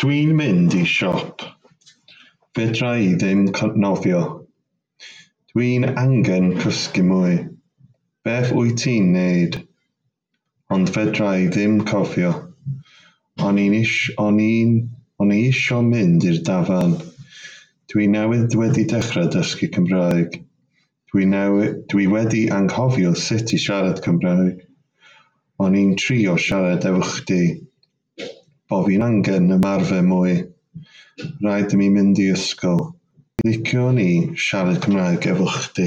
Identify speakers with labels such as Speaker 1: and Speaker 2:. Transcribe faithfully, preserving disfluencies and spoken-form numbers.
Speaker 1: Dwi'n mynd i siop. Fedra i ddim nofio. Dwi angen cysgu mwy. Beth wyt ti'n wneud? Ond fedra i ddim cofio. O'n i'n ish- o'n i'n o'n i isio mynd i'r dafarn. Dwi newydd wedi dechrau dysgu Cymraeg. Dwi newy- dwi wedi anghofio sut i siarad Cymraeg. O'n i'n trio siarad efo chdi. Bo fi'n angen ymarfer mwy. Rhaid i mi mynd i ysgol. Liciwn i siarad Cymraeg efo chdi.